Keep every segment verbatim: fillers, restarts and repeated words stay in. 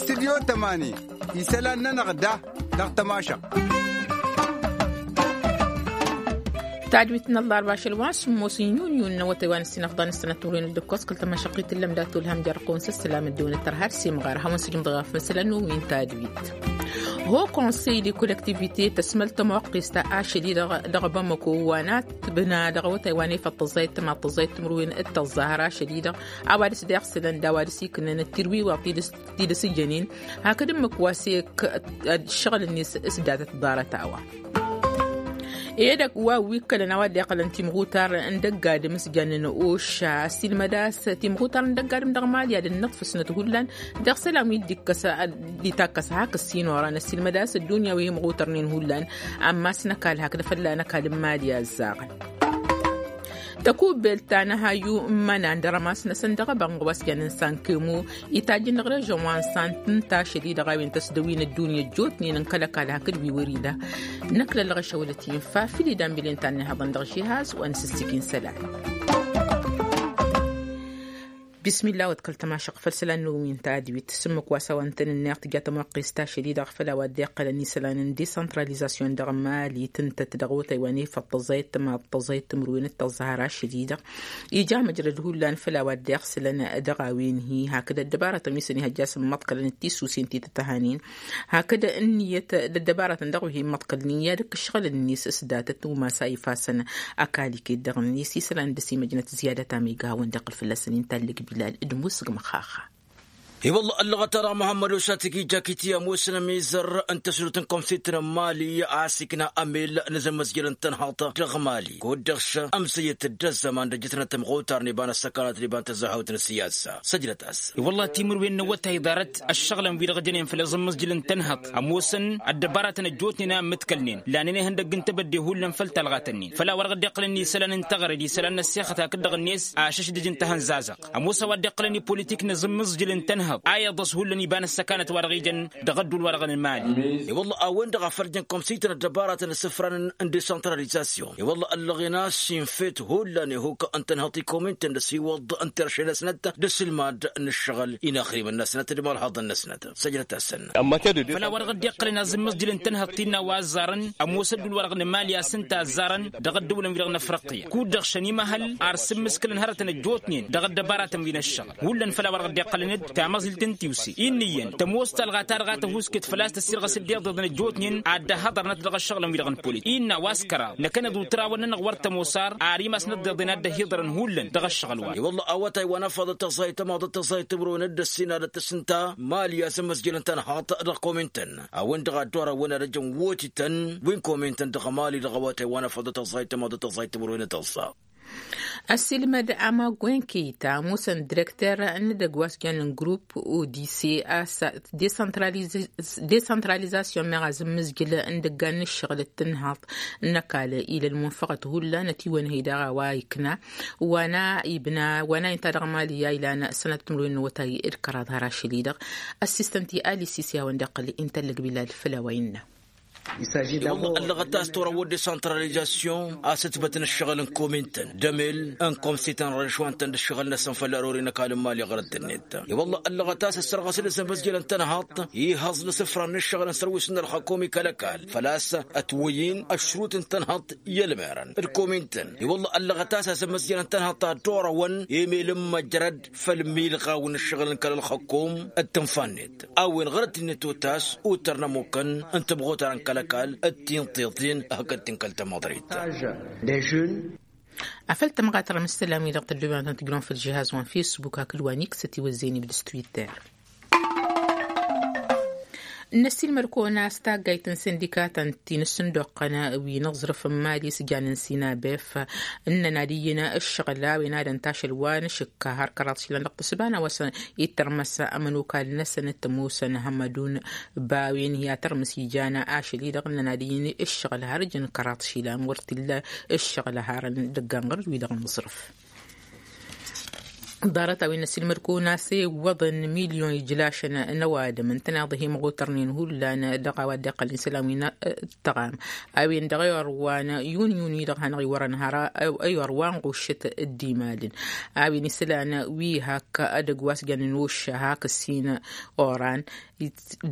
Studyo tămani isălan-nănăɣ da dăɣ-tămašăɣt. Tadwit n-ăllarba ašăl wa n-sǝmmos n-yunyu n-awătay wa n-ǝssin ăfḍan ǝssănăt timǝrwen d-ǝkkoẓ kăl-tămašăɣt i-tǝllăm dat-olhăm jer-ăqqon s-ǝssălam ăddewăn ăttăr har s-imɣar hawăn-sǝjǝm dăɣ-afăsălăn n-umin tadwit. Ho konsey de kollektivite tăsmăl tămoqqist ašăl-i-dăɣ dăɣ-bamăko wa n-ad-tǝbna dăɣ-awătay wa n-efăḍ tăẓẓayăt tămaḍt tăẓẓayăt timǝrwen d-tăẓẓa har ašăl-i-dăɣ a-wa dăɣ-s deɣ sălăn d-a-wa dăɣ-s iknăn d-tirwiwăḍ tidǝs tidǝs ǝjjănen hakd ǝmmǝk wa s-ek ăššăɣǝl-net s-datăt ḍarăt-a-wa. Edăgg wa wi ǝkkălăn a-wa dd-iqqălăn timɣutar n-dăgg-adǝm s-jannen oša ăssiilmăd a-s timɣutar n-dăgg-adǝm dăɣ-mali ad-ănnăḍfǝsnăt hullan dăɣ-isălan wi dd-ikkăs dd-itakkăs hak ǝssin oran ăssiilmăd a-s ăddunya wi imɣutărnen hullan. Ammas n-ăkall hakd fălla n-ăkall n-mali a ăzzaɣăn. Tăkubbelt ta n-ahayu n-imănan d-arămas-năsăn dăɣ-ebănɣ wa s-jannen sankemo itajj n-režăn wa n-sant n-tašăl-i-dăɣ a-wen tăsdăwin ăddunya ăjjootnen n-kăl-ăkall hakd wi wăr-ila. Năklăllăɣ ašăwălăt infa fil-idan bilen ta n-ihăḍăn dăɣ-žihaz wa n-sǝssǝk-in isălan. Bismillah wa d-kăl-tămašăɣ făll-isălan n-umin tadwit s-ǝmmǝk wa s-a-wa n-tăn-ǝnneɣ tǝja tămoqqest tašăl-i-dăɣ făll-a-wa dd-iqqălăn isălan n-desantralizasyon dăɣ-mali tǝntăt dăɣ-awătay wa n-efăḍ tăẓẓayăt tămaḍt tăẓẓayăt timǝrwen d-tăẓẓa har ašăl-i-dăɣ. Ija măjrăd hullan făll-a-wa dd-iɣsǝlăn dăɣ-a-wen-hi hakd ăddăbarătăn wi s-ănihăjja a-s ǝmmăḍkălăn d-tisusen ti tăt-ăhanen hakd ǝnniyăt d-ăddăbarătăn dăɣ-wi hi-ǝmmăḍkălnen i-ad-ǝkk ǝššăɣǝl-net s-datăt umas a ifasăn. Ăkall iket dăɣ-net isălan dăr-s imăjnăt ziyadat a mega hawăn-dd-iqqǝl fălla-săn inta ăllăg bilal d-musǝg măxxaxa. I-wălla ăllăɣăt-anăɣ muhămmăd ošatǝg ija akit i-ămoosăn ămizăr n-tăsnut n-kămsit n-mali a-s ikna ămel n-azămmăzjăl n-tănhăḍt dăɣ-mali kud-dăɣ s-ămsăyăt d-ăzzăman d-ăjjătnăt tămɣutar n-iba n-ăssăkanăt d-iba n-tăzzahăwt n-ăssiyasa săjdăt-as. I-wălla timǝrwen n-awătay ḍarăt ăššăɣǝlăn-wi-dăɣ jănen făll-azǝmmǝzjǝl n-tănhăḍt ămoosăn ăddăbaratăn ăjjootnen a ǝmmǝtkălnen lanen ihăndăgg n-tebădde hullan făll-talɣat-nin făll-a-wa dăɣ-dd-iqqălăn isălan n-taɣred isălan n-ăssixăt hakd-dăɣ-net ašăšdǝj n-tahănzazăɣt. Ămoos a-wa dd-iqqălăn i-politik n-azǝmmǝzjǝl n-tănhăḍ a iḍăs hullan iba n-ăssăkanăt wa dăɣ-ijăn dăɣ-ăddul wa dăɣ-nǝmali. I-wălla a-wen-dăɣ a făl jăn kămsităn ăddăbaratăn ăssǝfran n-desăntralizasyon i-wălla ăllăɣen a-s infa-t hullan ihuk n-tănhăḍt ikomintăn d-ăsiwăḍ n-terše-năsnăt d-asǝlmad n-ǝššăɣǝl inaxrimăn-năsnăt d-imalhaḍăn-năsnăt. Săjdăt-asăn. Făll-a-wa dăɣ-dd-iqqălăn azǝmmăzjǝl n-tănhăḍt innă a-wa ăzzarăn ămoos ăddul wa dăɣ-nǝmali a-s ǝnta ăzzarăn dăɣ-ăddăwlăn-wi-dăɣ n-afriqya kud-dăɣ šăn imăhăl ar s-ǝmmǝskǝlăn hărătăn ăjjootnen dăɣ-ăddăbaratăn wi n-ăššăɣǝl hullan făll-a-wa dăɣ-dd-iqqălăn-dd tamăẓilt n-tiwse innă iyyăn tămoos talɣa ta dăɣ-a tăhuusket făl-a-s tăssirɣăs dd-iḍeḍen ăjjootnen ad-dd-ăhhăḍărnăt dăɣ-ăššăɣǝlăn-wi-dăɣ n-polit innă a-wa s-kăraḍ năkkăneḍ utrawăn-nănăɣ wăr tămoos ar ar imas n-ăḍḍeḍen a dd-ăhiḍărăn hullan dăɣ-ăššăɣǝl wa. I-wălla awătay wa n-afăḍăt tăẓẓayt tămaḍăt tăẓẓayt timǝrwen d-ăssinadăt s-ǝnta mali a-s ămmăzjălăn tănhaḍt dăɣ-komintăn a-wen-dăɣ a dd-orăwăn ad-ăjăn wotităn wi n-komintăn dăɣ-mali dăɣ-awătay wa n-afăḍăt tăẓẓayt tămaḍăt tăẓẓayt timǝrwen d-ăẓẓa. Ăssiilmăd amagwen keyta ămoosăn direkter n-edăgg wa s-jannen grup odise a-s desăntralizasyon meɣ azǝmmǝzjǝl n-idăggan n-ǝššăɣǝl d-tǝnhaḍt n-ăkall ila ălmunfăɣăt hullan ătiwănhăy daɣ a-wa ikna wa n-a ibna wa n-a inta dăɣ-mali a ilan sănăt timǝrwen n-awătay d-kăraḍ har ašăl-i-dăɣ. Ăssistăn ti alisisi a-wen-dăɣ ăqqăl inta ăllăg bilal făll-a-wa innă. I-wălla ăllăɣăt a-s turăwăd desăntralizasyon a-s ǝtbătăn ǝššăɣǝl n-komintăn d-emel n-komsităn rănšwantăn d-ǝššăɣǝl-năsăn făll-ărori n-ăkall n-mali ɣărăt-net. I-wălla ăllăɣăt a-s ăssărɣăsăn azămmăzjălăn tănhaḍt ihăẓ n-asǝfran n-ǝššăɣǝl n-sărwis n-ălxăkom i-kăl-ăkall făl-a-s ătwăyy-in ăšrut n-tănhaḍt i-ălmerăn d-komintăn. I-wălla ăllăɣăt a-s azămmăzjălăn tănhaḍt a dd-orăwăn emel n-măjrăd făll-milɣaw n-ǝššăɣǝl n-kăl-ălxăkom d-tǝnfa-net a-wen ɣărăt-net otas uttăr n-ămukăn n-tămɣutar n-kăl-ăkall d-tinṭiṭin hakd tinkăl tamăḍrit. Afăl tămɣatăr n-isălan-wi-dăɣ tăddoben ad-tăn-tǝjrăwăn făll-žihaz wa n-fesbuk hakd wa n-iksăt iwăzzeyăn ibdǝs twitter. N-ăssiilmăd-kăwăn a-s taggayt n-sindikatăn ti n-ǝssǝndoqqăn wi n-aẓrǝf n-mali s-janen sinabef ǝnnăn ad-iyyǝn ǝššăɣǝl a-wen ad-ăntašăl wa n-ašǝkka har kăraḍ išilan dăɣ-tǝssǝba n-a-wa s-ittărmăs ămănokal-năsăn t-ămoosăn hămmădun. Ba-wen hi-ad-tărmǝs ijan ašăl-i-dăɣ ǝnnăn ad-iyyǝn ǝššăɣǝl har ǝjǝn kăraḍ išilan wăr t-illa ǝššăɣǝl harăn idăggan ɣur-dd-wi-dăɣ n-aẓrǝf. Ḍarăt a-wen n-ăsilmăd-kăwăn a-s iwwăḍăn milyon ijlašăn n-ăwadǝm ǝntăneḍ ihimɣutărnen hullan dăɣ-a-wa dd-iqqălăn isălan wi n-tăɣam a-wen dăɣ-i orwan yun yun-wi-dăɣ hanăɣ-iwărăn hărăt. I-orwan ɣušăt dd-imalăn a-wen isălan wi hak edăgg wa s-jannăn ošša hak ǝssin oran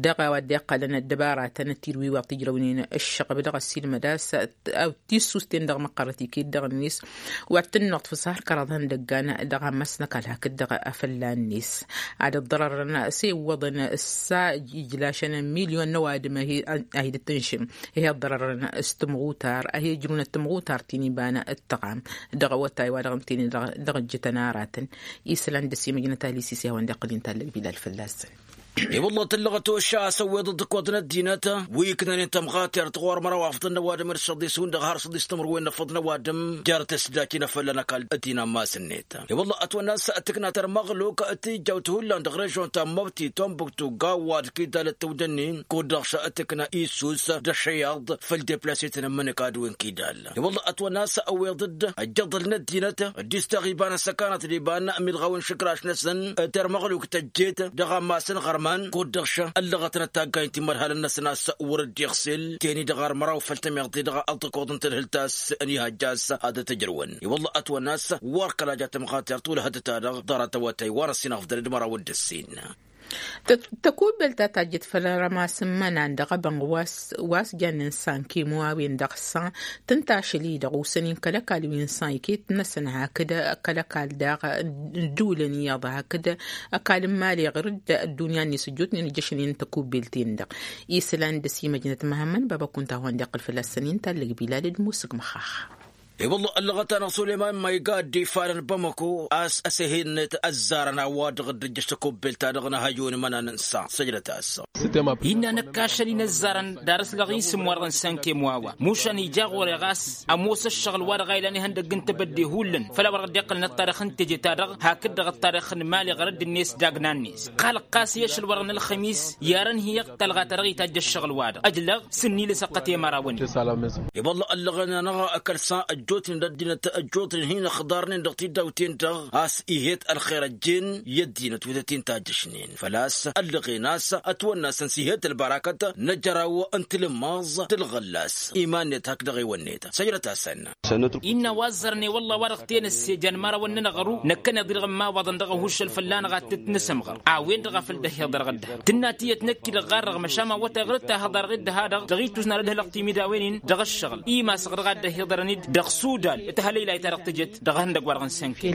dăɣ-a-wa dd-iqqălăn ăddăbaratăn tidǝwiwăɣ tijrăwnen ǝššăɣb dăɣ-ăssilmăd a-s tissust-en dăɣ-măqqărăt iket dăɣ-net wa t-tǝnnuɣ tfǝsha har kăraḍ ihăndăggan dăɣ-ammas n-ăkall hakd-dăɣ afălla-net ad-ǝḍḍărărăn s-e iwwăḍăn s-a ijlašăn milyon n-ăwadǝm a hi-dd-tǝnšǝm. Ih'-e ǝḍḍărărăn s-tǝmɣutar a hi-ǝjrǝwnăt tǝmɣutar ti n-iba n-ăttăɣam dăɣ-awătay wa dăɣ-ǝntănen dăɣ-ǝjjǝtăn aratăn. Isălan d-ăsimăjnăt alisis i-hawăn-dd-iqqăl inta ăllăg bilal fălla-săn. I-wălla tǝllăɣăt ošša a-s ăwweḍăt d-ǝkkoḍ n-ăddinăt wi ǝknănen tămɣatert ɣur-măraw afḍăn n-ăwadǝm d-săḍis hundăɣ har săḍis timǝrwen n-afăḍ n-ăwadǝm. Jer-tǝsdaki n-afălla n-ăkall ăddin ammas-net i-wălla ătwănna a-s tǝkna tărmăɣluk tijjawt hullan dăɣ-režon ta n-măbti tombuktu gawad kidal d-tawdănnin kud-dăɣ s-tǝkna isus d-ăššăyaḍ făll-deplase-tăn ǝmmǝnǝk ad-wen kidal. I-wălla ătwănna a-s ăwweḍ-dd ăjjăḍăl n-ăddinăt dd-isteɣ iba n-ăssăkanăt d-iba n-milɣawen šǝkraš-năsăn. Tărmăɣluk tăjjet dăɣ-ammas n-iɣărman kud-dăɣ š-ăllăɣătnăt taggaynt timărhalăn-năsăn a-s wăr-dd-iɣsel teni-dăɣ ar măraw făll-tămiḍt-i dăɣ-ăltăkoḍ n-tadhǝlt a-s ănihăjja a-s ad-ătǝjrǝwăn. I-wălla ătwănna a-s wăr kăla ja tămɣatert wăla hăddăt-a-dăɣ ḍarăt awătay wa n-ăssin afḍăn d-măraw d-ǝssin. Tăkubbelt ta tajjăt făll-rămas n-imănan dăɣ-ebănɣ wa s-jannen sankemo a-wen-dăɣ s-a tǝnta ašăl-i-dăɣ osăn-in kăl-ăkall wi n-san iket-năsăn hakd kăl-ăkall daɣ n-ǝddǝwǝlăn iyyăḍ hakd ăkall n-imali ɣur-dd ăddunya-net ăjjootnen ǝjjăšnen n-tăkubbelt-en-dăɣ. Isălan d-ăsimăjnăt măhămmăn baba kunta a-wen-dăɣ iqqăl fălla-săn inta ăllăg bilal d-musǝk măxax. I-wălla ăllăɣăt-anăɣ sulăyman ma iga ăddifa n-bamako a-s ăsehennăt ăzzarăn a-wa dăɣ-dd-ǝjjăš tăkubbelt-ta-dăɣ n-ahăjjun imănan n-sa săjdăt-as. Innă năkk ašăl-in ăzzarăn dar ăslăɣ isǝm-wa-dăɣ n-sankem wa-wa mušan ija ɣur-e ɣas ămoos ăššăɣǝl-wa-dăɣ a ilan ihăndăgg n-tebădde hullan făll-a-wa-dăɣ dd-iqqălăn ăṭṭarix n-teje-ta-dăɣ hakd-dăɣ ăṭṭarix n-imali ɣărădd-net d-agna-net. Ɣalăɣ-t a-s i-ašăl-wa-dăɣ n-ălxămis i-arăn hi-iqqălɣa ta dăɣ-itajj ăššăɣǝl-wa-dăɣ ăjlăɣ s-ǝnnilǝs ăqqăt i-mărawăn. I-wălla ăllăɣăn-anăɣ ăkall s-a ăjjootnen d-ăddinăt ăjjootnen hin-ăxḍarnen dăɣ-tidawten-dăɣ a-s ihet ălxer ăjjeen i-ăddinăt wi tăt-in-tajjăšnen făl-a-s ăllăɣen a-s ătwănna-săn s-ihet ălbărakăt n-ajăraw n-tilǝmmaẓ d-ălɣăllas iman-net hakd-dăɣ-ewăn-net. Săjdăt-asăn. Innă wa ăzzărăn i-wălla wa-dăɣ tenăsse jan imărawăn-nănăɣ ăru năkkăneḍ-i-dăɣ n-imawăḍăn dăɣ-ahuššăl fălla-năɣ ad-tăt-nǝsǝmɣăr a-wen-dăɣ a făl dd-ăhiḍărăt dd-ha tǝnna tiyyăt năkk-i dăɣ-ɣarrăɣ măšan ma wătay ɣur-dd tahăḍarăɣ-dd dăɣ-ha-dăɣ dăɣ-itus n-ad-ădhălăɣ timidawăn-in dăɣ-ăššăɣǝl imasăɣ dăɣ-ad-dd-ăhiḍărăn-dd dăɣ-sudan. Tahălăylayt-ta-dăɣ tǝjăt dăɣ-ehăndăgg-wa-dăɣ n-sănke.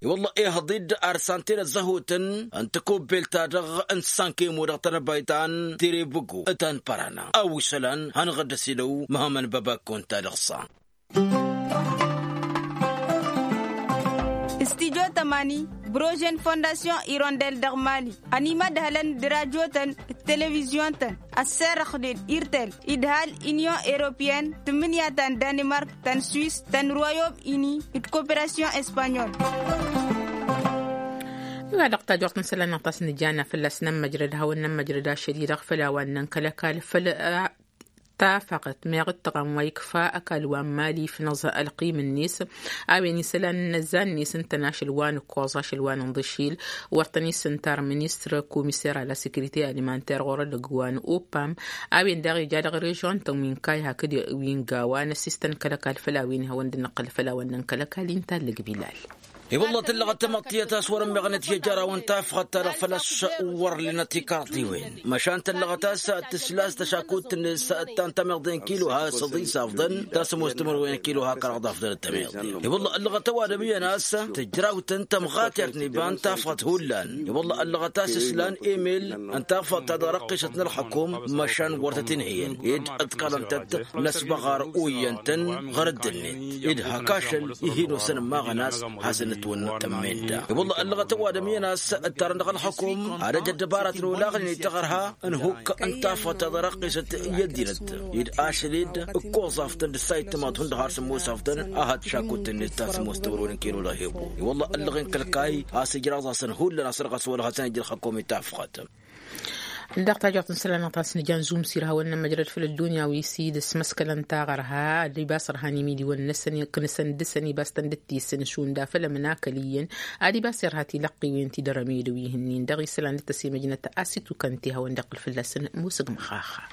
I-wălla ihăḍ-dd arsan tenăzzăhotăn n-tăkubbelt-ta-dăɣ n-sănkemo dăɣ-tănăbayt ta n-tirebǝgo ta n-părana a-wa isălan hanăɣ-dd-ăsidăw măhămăn băbakko n-ta-dăɣ-sa. Studyo tămani brožen fondasyon irondel dăɣ-mali ănimădhălăn d-rajotăn d-televizyon-tăn ăsserrăxnen irtel idhal inyon europeyăn tǝmmǝnǝya ta n-danimark ta n-swis ta n-royom ini d-koperasyon espanyol. Iwa dăɣ-tajort n-isălan-năɣ ta s-nǝjana fălla-s nămmăjrăd hawăn-nămmăjrăd ašăl-i-dăɣ făll-a-wa n-nănkăl ăkall făll-a tafăɣt meɣ d-tăɣam wa ikfa ăkall wa n-mali ifnăẓ ălqim-net. A-wen isălan n-ăzzan-net ǝntăn ašăl wa n-ǝkkoẓ ašăl wa n-inḍǝšil wăr tăn-isǝntar ministăr komiser a la sekirite alimanter ɣur-ălăgg wa n-opam. A-wen daɣ ija dăɣ-režon-tăn wi n-kay hakd wi n-gawa n-ăsistăn kăl-ăkall făll-a-wen ihawăn dd-năqqǝl făll-a-wa n-nănkăl ăkall inta ăllăg bilal. I-wălla tǝllăɣăt tamăḍt tiyyăt a-s wăr-ămmeɣnet i-ajăraw n-tafɣăt-ta-dăɣ făl-a-s wăr lenăt ikarḍiwen măšan tǝllăɣăt a-s tǝsla a-s tăšakut-net ta n-tamăḍt n-kilo ha săḍis afḍăn ta s-ămoos timǝrwen kilo ha kăraḍ afḍăn d-tamăḍt. I-wălla ăllăɣăt ăwadǝm iyyăn a-s tǝjrawt n-tămɣatert n-iba n-tafɣăt hullan. I-wălla ăllăɣăt a-s islan emel n-tafɣăt ta dăɣ-răqqisăt n-ălxăkum măšan wăr tăt-inhǝyăn ed ǝḍkălăn-tăt n-ăsbăɣar oyyăn-tăn ɣur-dd-net ed hak ašăl ihin osăn ămmaɣăn a-s hasăn-ătwănnăt tămmen-da. I-wălla ăllăɣăt ăwadǝm iyyăn a-s ǝttarăn dăɣ-ălxăkum ad-ăj ăddăbaratăn olaɣnen i-taɣărha n-hukk n-tafăt ta dăɣ-răqqisăt i-ăddinăt ed ašăl-dd ǝkkoẓ afḍăn d-ǝssa ittǝmaḍ hundăɣ har sǝmmos afḍăn a hat šakut-net ta sǝmmos timǝrwen n-kilo dăɣ-hebu. I-wălla ăllăɣen kăl-kayy a-s ijraẓ-asăn hullan a-s dăɣ-a-s wăla hasăn-ăj ălxăkum i-tafɣăt. Dăɣ-tajăɣt n-isălan n-aɣtas n-jan zumsir hawăn-nămmăjrăd făll-ăddunya wi s-dd-sămăskălăn taɣărha ad-ibas ărhan imidiwăn-năsăn iqqǝnǝsăn dăɣ-săn ibas tăn-dd-tisǝn šund afăl ămănakăl iyyăn ad-ibas irha tilăqqiwen ti dăr-emedăw ihǝnnin dăɣ-isălan d-tăsimăjnăt a-s itukăn ti hawăn-dd-iqqǝl fălla-săn musǝgmăxaxa.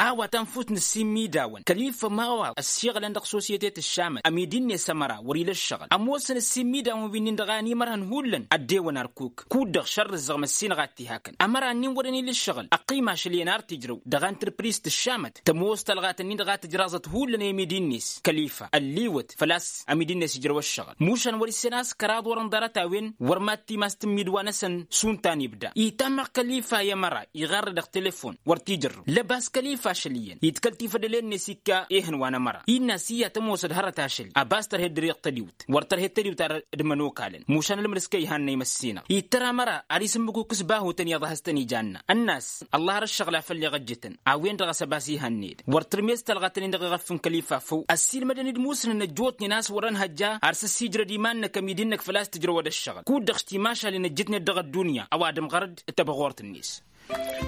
A-wa tanfut n-ăssimmidawăn kăl-ifa ma-wa ăssiɣǝlăn dăɣ-sosyete tǝššamăt ămidi-net ămăra wăr-ila ǝššăɣǝl ămoosăn ăssimmidawăn wi-nin-dăɣ a ănimărhăn hullan ăddewăn ărkuk kud-dăɣ šărrǝzzăɣ măssinăɣ ad-t-ihakăn ămăra-nin wăren ila ǝššăɣǝl ăqqim ašăl iyyăn ar t-ijrăw dăɣ-antrăpris tǝššamăt tămoos talɣat-nin-dăɣ a tǝjraẓăt hullan i-amidi-net kăl-ifa ălliwăt făl-a-s amidi-net ijrăw ăššăɣǝl mušan wăr-issăn a-s kăraḍ wărăn ḍarăt-a-wen wăr mad-timas tǝmmidwa-năsăn šund ta n-ibda itammăɣ kăl-ifa i-ămăra iɣarră dăɣ-telefon wăr t-ijărrăw lăbas kăl-ifa ašăl iyyăn idkăl tifădălen-net ikka ehăn wa n-ămăra innă a-s iyyăt ămoosăd hărăt ašăl abas tărhed dăr-iyyăḍ tădiwt wăr tărhed tădiwt ar dd-mănokalăn mušan ălmăr s-kăy-ihannăy măssinăɣ ittăr ămăra ar isǝmmǝkuk s-bahutăn iyyăḍ a has-tăn-ijanna ănn'-as ăllah ar ǝššăɣǝl a făll-iɣăjjǝtăn a-wen-dăɣ a-s ăbas ihănned wăr tǝrmez talɣa-tăn-in-dăɣ iɣăf n-kăl-ifa făw ăssiilmădăn-dd musǝnăn ăjjootnen a-s wărăn hăjja ar s-ăssiijrăd iman-năk ămidi-năk făl-a-s tǝjrăwăd ăššăɣǝl kud-dăɣ s-timašalen ăjjǝtnet dăɣ-ăddunya ăwadǝm ɣărăd tăbăɣort-net.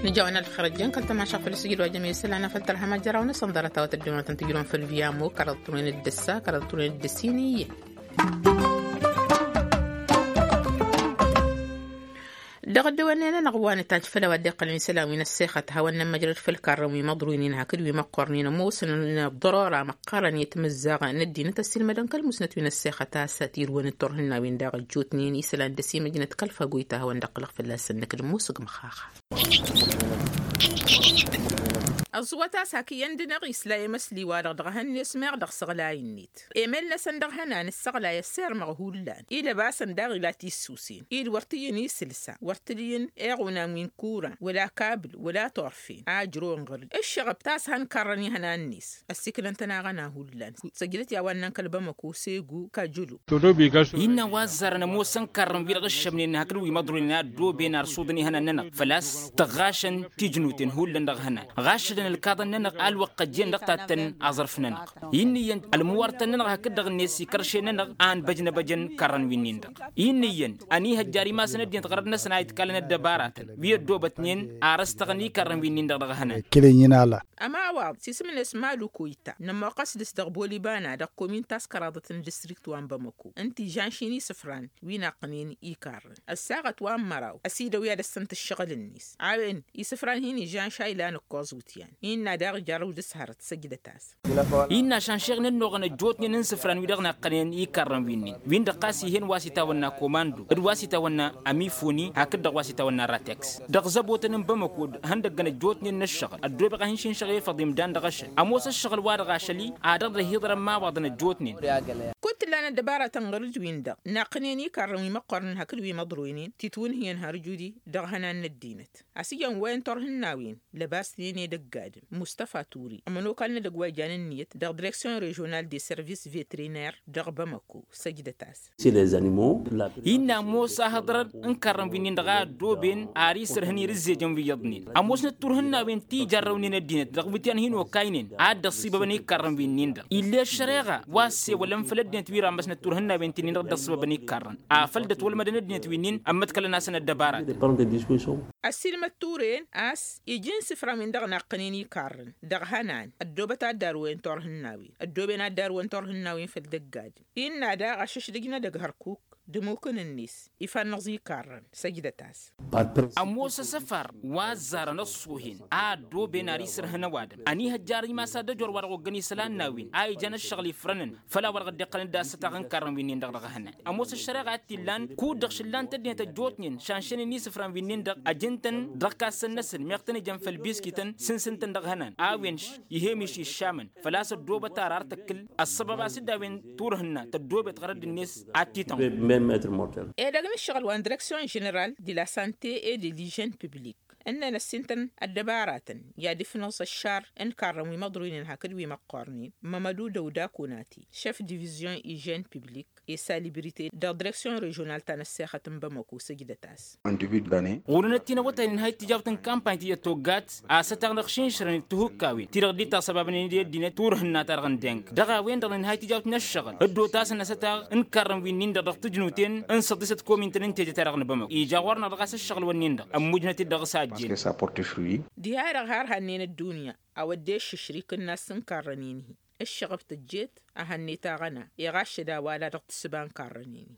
Nǝjawăn ălxărăjăn kăl-tămaša făll-sǝjǝd wa jămesăl anăfăl tărha măjjăraw-năsăn ḍarăt-awăt ăddăwnatăn tǝjrun făll-viyamo kăraḍ turnen dd-ăssa kăraḍ turnen dd-ăssin iyyăn. Dăɣ-ăddăwănnen-anăɣ wa nǝtajj făll-a-wa dd-iqqălăn isălan wi n-ăssexăt hawăn-nămmăjrăd făll-karrăn wi măḍruy-nin hakd wi măqqornen ămoosăn n-ăḍḍărora măqqărăn i-timǝzzaɣ n-ăddinăt ăssiilmădăn kăl-musnăt wi n-ăssexăt a-s tirǝwăn d-turhǝnnawen daɣ ăjjootnen isălan d-ăsimăjnăt kăl-fagoyt a hawăn-dd-ăqqǝlăɣ fălla-săn năkk d-musǝg măxaxa. Ăẓwăt a-s hak iyyăn d-inăɣ isla i-măsli-wa-dăɣ dăɣ-ehăn-net meɣ dăɣ-săɣlay-net emel-năsăn dăɣ-hănan ǝssăɣlay ăssirmăɣ hullan ilăbasăn daɣ ila tissusen-i d-wăr t-iyyăn isǝlsa wăr t-dd-iyyăn eɣunan wi n-kuran wăla kabǝl wăla turfen a ǝjrăwăn ɣǝr-dd ǝššăɣăb ta s-hăn karrăn ihănan-net ăssiklăn-tăn aɣăna hullan săjdăt i-a-wa ǝnnan kăl-bamăko segu kajǝlo. Innă wa ăzzarăn ămoosăn karrăn-wi-dăɣ ǝššămnen hakd wi măḍroynen a ăddooben arsuḍăn ihănan-nănăɣ făl-a-s tăɣɣašăn tijnuten hullan dăɣ-ihănan ɣašădăn ălkaḍăn-nănăɣ a ălwăqq ăjjeen dăɣ-tattăn aẓrǝf nănăɣ. Innă iyyăn ălmǝwartăn-nănăɣ hakd-dăɣ-net ikăršen-nănăɣ a ănbăjnăbăjăn karrăn-win-nin-dăɣ. Innă iyyăn ănihăjjar imasăn ăddinăt ɣărăd-năsăn a itkallăn ăddăbaratăn wi ăddoobătnen ar ăstăɣăn ikarrăn-win-nin-dăɣ dăɣ-ihănan. Ămawaḍ s-isǝm-net malu koyta nămmoqqăs dăɣ-s dăɣ-bolibana dăɣ-komin ta s-kăraḍăt n-distrikt wa n-bamăko ǝnta ižanš-in isǝfran wi naqqǝnen ikarrăn ăssaɣăt wa n-măraw ăsidăw i-ad-ăssănt ǝššăɣǝl-net a-wen isǝfran hin-ižanš a ilan ǝkkoẓ wǝtyan innă daɣ jarrăw dăɣ-s hărăt săjdăt-as. Innă ašănšeɣ n-ănnuɣăn ăjjootnen n-isǝfran wi-dăɣ naqqănen ikarrăn wi-nin-dăɣ win-dăɣ ɣas ih'-en wa s-itawănna komando d-wa s-itawănna amifoni hakd-dăɣ wa s-itawănna rateks dăɣ-zăbotăn n-bamăko ihăndăggăn ăjjootnen n-ǝššăɣǝl ăddoobeɣ ad-hin-šinšăɣ efăḍ imdan dăɣ-ašăl ămoos ǝššăɣǝl-wa-dăɣ ašăl-i ad-dăɣ-dd-ăhiḍărăn imawaḍăn ăjjootnen. Kud t-ǝllan ăddăbaratăn ɣur-dd-win-dăɣ naqqǝnen ikarrăn wi măqqornen hakd wi măḍroynen titwǝnhǝyăn har judi dăɣ-ihănan n-ăddinăt a-s iyyăn wa n-turhǝnnawen lăbasnen edăgg adǝm mustăfa ture ămănokal n-edăgg wa ijan ǝnniyăt dăɣ-direksyon režional de service vetriner dăɣ-bamăko săjdăt-as. Innă ămoos ahǝḍrăd n-ikarrăn wi-nin-dăɣ a ăddooben ar isărhăn irǝzzejăn wi iyyăḍnen ămoosnăt turhǝnnawen ti jarrăwnen ăddinăt dăɣ-iwǝtyan hin-okaynen a dd-ăṣṣibăbăn ikarrăn wi-nin-dăɣ ill'-e ăššăreɣa wa ăssewălăn făll-ăddinăt wi rammăsnăt turhǝnnawen ti-nin-dăɣ dd-ăṣṣibăbăn ikarrăn afăl dd-ătwălmădăn ăddinăt wi-nin ămmăḍkălăn-asăn ăddăbaratăn. Ăssiilmăd ture-en a-s ija n-isǝfran-win-dăɣ naqqǝnen ikarrăn dăɣ-ihănan ăddoobăt ad-dd-arwen turhǝnnawen ăddooben ad-dd-arwen turhǝnnawen făll-dăgg-adǝm innă daɣ ašăšdăj n-edăgg hărkuk d-ămmukăn-net ifannăẓ ikarrăn săjdăt-as. Ămoos asăfar wa ăzzarăn ăṣṣoohen a ăddooben ar isărhăn ăwadǝm ănihăjjar imas ad-ăjor wa dăɣ-oggăn isălan n-a-wen a ijăn ǝššăɣǝl ifrănăn făll-a-wa dăɣ-dd-iqqălăn d-asătaɣ n-ikarrăn wi-nin-dăɣ dăɣ-ihănan. Ămoos ăššăreɣa a t-illan kud-dăɣ šǝllan-t ăddinăt ăjjootnen šanšănen isǝfran wi-nin-dăɣ ăjǝn-tăn dăɣ-ikassăn-năsăn meɣ tăn-ijăn făll-biskităn sǝnsǝn-tăn dăɣ-ihănan a-wen iha emiš iššamăn făl-a-s ăddoobăt ar ar tăkkǝl ăssăbăb a-s dd-a-wen turhǝnna tăddoobet ɣărădd-net ad-t-itănɣul. Edăgg n-ǝššăɣǝl wa n-direksyon ženeral de la sante et de l'ižen publik ǝnnăn ăssintăn ăddăbaratăn i-ad-ifnăẓ ăššar n-ikarrăn wi măḍruynen hakd wi măqqornen mămădu dăwda konati šef divizyon ižen publik i-salibrite dăɣ-direksyon režional ta n-ăssexăt n-bamăko săjdăt-as. Ɣur-enăt tinăwătay n-inhay tijawt n-kampany ti ăttoggat a-s ătaɣ n-ăɣšinšrăn d-tihukkawen ti-dăɣ dd-itasăbabnen i-ăddinăt turhǝnna-ta-dăɣ n-deng dăɣ-a-wen-dăɣ n-inhay tijawt n-ăššăɣǝl dd-otasăn asătaɣ n-ikarrăn wi-nin-dăɣ dăɣ-tǝjnuten n-săḍisăt komintăn n-teje-ta-dăɣ n-bamăko ija ɣur-năɣ dăɣ-a-s ăššăɣǝl-wǝnnin-dăɣ ămmujnăt-dd dăɣ-s a. Diha-dăɣ har hănnen ăddunya a-wa dd-eššǝšrǝy kǝnnas n-karrănen-hi. Ǝššăɣăb tǝjjet a hănnet aɣăna iɣaššăd a-wa-la dăɣ-tǝssǝba n-karrănen-hi.